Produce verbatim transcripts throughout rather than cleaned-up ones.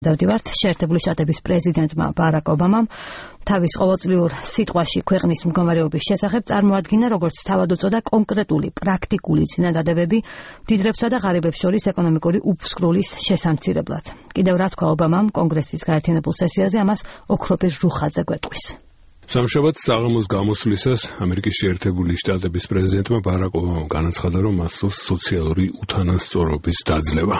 დავდივართ შეერთებული შტატების პრეზიდენტმა ბარაკ ობამამ თავის ყოველწლიურ სიტყვაში ქვეყნის მდგომარეობის შესახებ წარმოადგინა როგორც თავად უწოდა კონკრეტული პრაქტიკული წინადადებები მდიდრებსა და ღარიბებს შორის ეკონომიკური უფსკრულის შესამცირებლად. Კიდევ რა თქვა ობამამ კონგრესის გაერთიანებულ სესიაზე ამას ოქროპირ რუხაძე გვეტყვის. სამშაბათ საღამოს გამოსვლისას ამერიკის შეერთებული შტატების პრეზიდენტმა ბარაკ ობამამ განაცხადა, რომ მასწავლს სოციალური უთანასწორობის დაძლევა.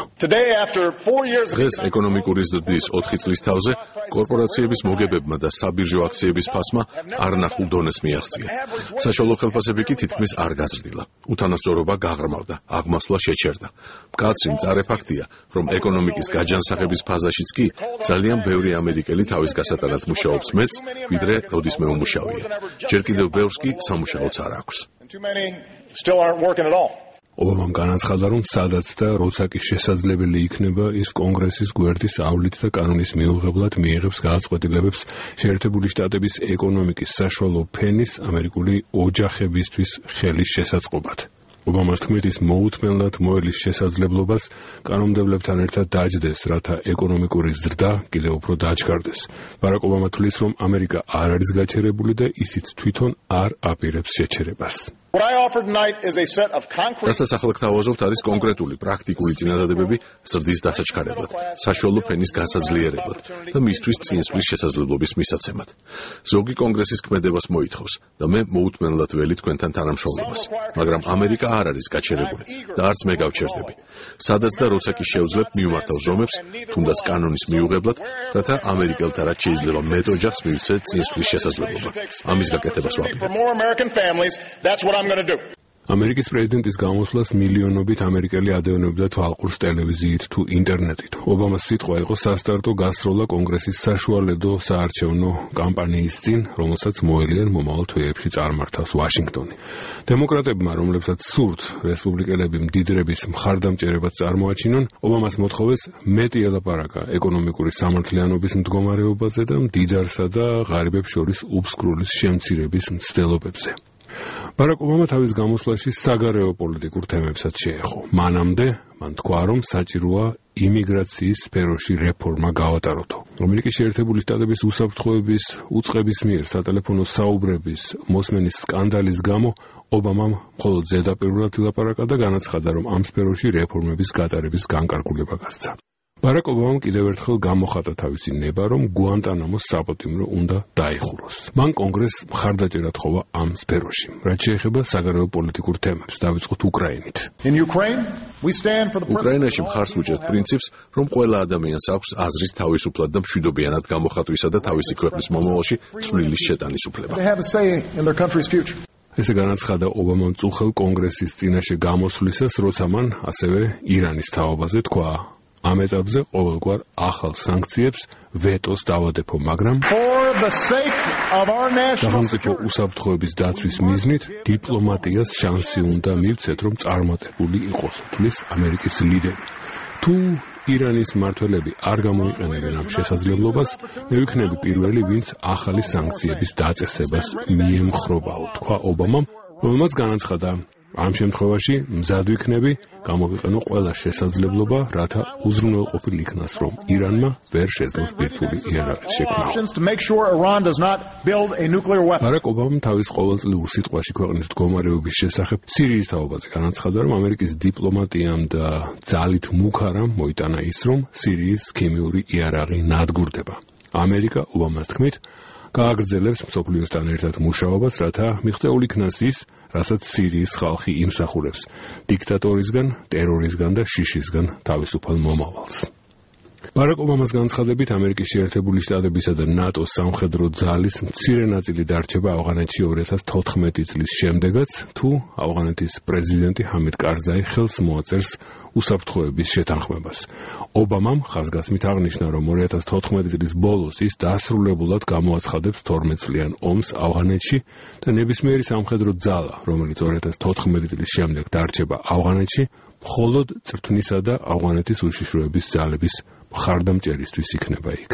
დღეს ეკონომიკური ზრდის ოთხი წლის თავზე კორპორაციების მოგებებმა და საბირჟო აქციების ფასმა არნახულ დონეს მიაღწია. საშუალო ხელფასები კი თითქმის არ გაზრდილა. უთანასწორობა გაღრმავდა, აღმასვლა შეჩერდა. მკაცრი მწარე ფაქტია, რომ ეკონომიკის გაჯანსაღების ფაზაშიც კი ძალიან ბევრი ამერიკელი თავის გასატანად მუშაობს მეც, ვიდრე როდის მე უმუშავია. ჯერ კიდევ ბევრს კი სამუშაოც არ აქვს. ობამამ განაცხადა, რომ სადაც და როცა კი შესაძლებელი იქნება, ის კონგრესის გვერდის ავლით და კანონის მიუღებლად მიიღებს გადაწყვეტილებებს შეერთებული შტატების ეკონომიკის საშუალო ფენის ამერიკული ოჯახებისთვის ხელის შესაწყობად. ობამას თქმით, ის მოუთმენლად მოელის შესაძლებლობას კანონმდებლებთან ერთად დაჯდეს, რათა ეკონომიკური ზრდა კიდევ უფრო დაჩქარდეს. ბარაკ ობამა თვლის, რომ ამერიკა არ არის გაჩერებული და ისიც თვითონ არ აპირებს შეჩერებას. რასაც ახლა გთავაზობთ, არის კონკრეტული პრაქტიკული წინადადებები ზრდის დასაჩქარებლად, საშუალო ფენის გასაძლიერებლად და მისთვის წინსვლის შესაძლებლობის მისაცემად. ზოგი კონგრესის ქმედებას მოითხოვს და მე მოუთმენლად ველი თქვენთან თანამშრომლობას, მაგრამ ამერიკა არ არის გაჩერებული და არც მე გავჩერდები. სადაც და როცა კი შევძლებთ მივმართავ ზომებს, თუნდაც კანონის მიუღებლად, რათა ამერიკელთა რაც შეიძლება მეტ ოჯახს მივცეთ წინსვლის შესაძლებლობა. ამის გაკეთებას ვაპირებ. ამერიკის პრეზიდენტის გამოსვლას მილიონობით ამერიკელი ადევნებდა თვალყურს ტელევიზიით თუ ინტერნეტით. ობამას სიტყვა იყო სასტარტო გასროლა კონგრესის საშუალედო საარჩევნო კამპანიის წინ, რომელსაც მოელიან მომავალ თვეებში წარმართავს ვაშინგტონი. დემოკრატებმა, რომლებსაც სურთ რესპუბლიკელები მდიდრების მხარდამჭერებას წარმოაჩინონ, ობამას მოთხოვეს მეტი ელაპარაკა ეკონომიკური სამართლიანობის მდგომარეობაზე და მდიდარსა და ღარიბებს შორის უფსკრულის შემცირების მცდელობებზე. ბარაკ ობამა თავის გამოსვლაში საგარეო პოლიტიკურ თემებსაც შეეხო. მანამდე მან თქვა, რომ საჭიროა იმიგრაციის სფეროში რეფორმა გავატაროთო. ამერიკის შეერთებული შტატების უსაფრთხოების უწყების მიერ სატელეფონო საუბრების მოსმენის სკანდალის გამო ობამამ მხოლოდ ზედაპირულად ილაპარაკა და განაცხადა, რომ ამ სფეროში რეფორმების გატარების განკარგულება გასცა. ბარაკ ობამამ კიდევ ერთხელ გამოხატა თავისი ნება, რომ გუანტანამოს საპატიმრო უნდა დაიხუროს. მან კონგრესს მხარდაჭერა თხოვა ამ სფეროში. რაც შეეხება საგარეო პოლიტიკურ თემებს, დავიწყოთ უკრაინით. უკრაინაში მხარს ვუჭერთ პრინციპს, რომ ყველა ადამიანს აქვს აზრის თავისუფლად და მშვიდობიანად გამოხატვისა და თავისი ქვეყნის მომავალში ცვლილის შეტანის უფლება. ესე განაცხადა ობამამ წუხელ კონგრესის წინაშე გამოსვლისას, როცა მან ასევე ირანის თავობაზე თქვა, ამ ეტაპზე ყოველგვარ ახალ სანქციებს ვეტოს დავადებო, მაგრამ სახელმწიფო უსაფრთხოების დაცვის მიზნით დიპლომატიას შანსი უნდა მივცეთ, რომ წარმატებული იყოს, თვლის ამერიკის ლიდერი. თუ ირანის მმართველები არ გამოიყენებენ ამ შესაძლებლობას, მე ვიქნები პირველი, ვინც ახალი სანქციების დაწესებას მიემხრობაო, თქვა ობამამ, რომელმაც განაცხადა, ამ შემთხვევაში მზად ვიქნები გამოვიყენო ყველა შესაძლებლობა, რათა უზრუნველყოფილ იქნას, რომ ირანმა ვერ შეძლოს ბირთვული იარაღი შექმნა. ბარაკ ობამამ თავის ყოველწლიურ სიტყვაში ქვეყნის მდგომარეობის შესახებ სირიის თაობაზე განაცხადა, რომ ამერიკის დიპლომატიამ და ძალით მუქარამ მოიტანა ის, რომ სირიის ქიმიური იარაღი ნადგურდება. ამერიკა ობამას თქმით გააგრძელებს მსოფლიოსთან ერთად მუშაობას, რათა მიღწეულ იქნას ის, რასაც სირიის ხალხი იმსახურებს დიქტატორისგან, ტერორისგან და შიშისგან თავისუფალ მომავალს. ბარაკ ობამას განცხადებით, ამერიკის შეერთებული შტატებისა და ნატოს სამხედრო ძალის მცირე ნაწილი დარჩება ავღანეთში ორი ათას თოთხმეტი წლის შემდეგაც, თუ ავღანეთის პრეზიდენტი ჰამიდ კარზაი ხელს მოაწერს უსაფრთხოების შეთანხმებას. ობამამ ხაზგასმით აღნიშნა, რომ ორი ათას თოთხმეტი წლის ბოლოს ის დასრულებულად გამოაცხადებს თორმეტ წლიან ომს ავღანეთში და ნებისმიერი სამხედრო ძალა, რომელიც ორი ათას თოთხმეტი წლის შემდეგ დარჩება ავღანეთში, მხოლოდ წრთვნისა და ავღანეთის უშიშროების ძალების მხარდამჭერისთვის იქნება იქ.